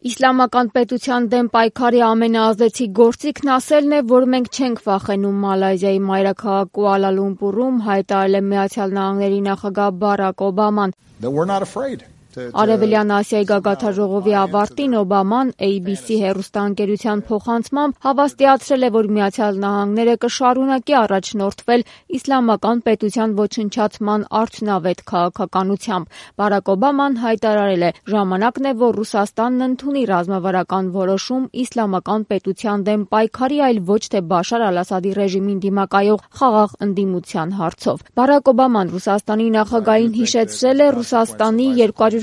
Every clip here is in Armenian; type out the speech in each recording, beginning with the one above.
Իսլամական պետության դեմ պայքարի ամենաազդեցիկ գործիքն ասելն է, որ մենք չենք վախենում Մալայզիայի մայրաքաղաք Կուալա Լումպուրում հայտարարել է Միացյալ Նահանգների նախագահ Բարաք Օբաման։ Արևելյան Ասիայի գագաթնաժողովի ավարտին Օբաման ABC հեռուստաընկերության փոխանցմամբ հավաստիացրել է, որ Միացյալ Նահանգները կշարունակի առաջնորդվել իսլամական պետության ոչնչացման արդյունավետ քաղաքականությամբ։ Բարաք Օբաման հայտարարել է. ժամանակն է, որ Ռուսաստանն ընդունի ռազմավարական որոշում իսլամական պետության դեմ պայքարի, այլ ոչ թե Բաշար Ալ-Ասադի ռեժիմին դիմակայող խաղաղ ընդդիմության հարցով։ Բարաք Օբաման Ռուսաստանի նախագահին հիշեցրել է Ռուսաստանի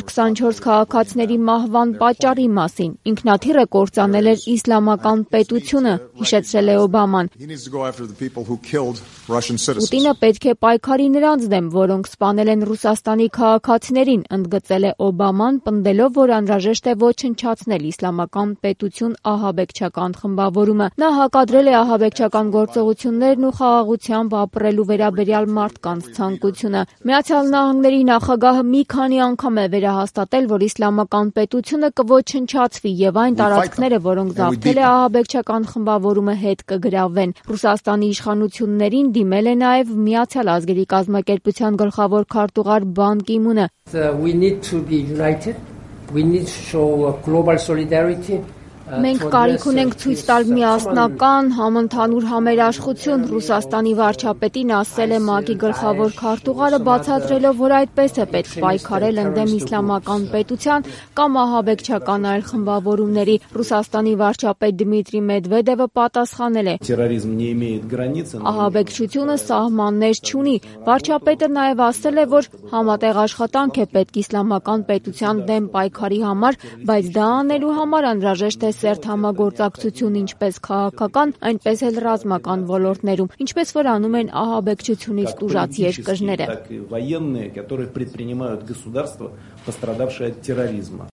224 քաղաքացիների մահվան պատճառի մասին։ Ինքնաթիռը կործանել էր իսլամական պետությունը, հիշեցրել է Օբաման։ Պուտինը պետք է պայքարի նրանց դեմ, որոնք սպանել են Ռուսաստանի քաղաքացիներին, ընդգծել է Օբաման, պնդելով, որ անհրաժեշտ է ոչնչացնել իսլամական պետություն ահաբեկչական խմբավորումը։ Նա հակադրել է ահաբեկչական գործողություններն ու խաղաղությամբ ապրելու վերաբերյալ մարդկանց ցանկությունը։ Միացյալ Նահանգների նախագահը մի քանի անգամ է վերահաստատել, որ իսլամական պետությունը կոչնչացվի եւ այն տարածքները, որոնք զավթել է ահաբեկչական խմբավորումը, հետ կգրավվեն։ Ռուսաստանի իշխանություններին դիմել է նաեւ Միացյալ ազգերի կազմակերպության գլխավոր քարտուղար Բան Կի Մունը։ Մենք կարիք ունենք ցույց տալ միասնական, համընդհանուր համերաշխություն, Ռուսաստանի վարչապետին ասել է ՄԱԿ-ի գլխավոր քարտուղարը, բացատրելով, որ այդպես է պետք պայքարել ընդդեմ իսլամական պետության կամ ահաբեկչական այլ խմբավորումների։ Ռուսաստանի վարչապետ Դմիտրի Մեդվեդևը պատասխանել է. Ահաբեկչությունը սահմաններ չունի։ Վարչապետը նաև ասել է, որ համատեղ աշխատանք է պետք իսլամական պետության դեմ պայքարի համար, բայց դա անելու համար անհրաժեշտ է սերտ համագործակցություն ինչպես քաղաքական, այնպես էլ ռազմական ոլորտներում, ինչպես որ անում են ահաբեկչությունից տուժած երկրները։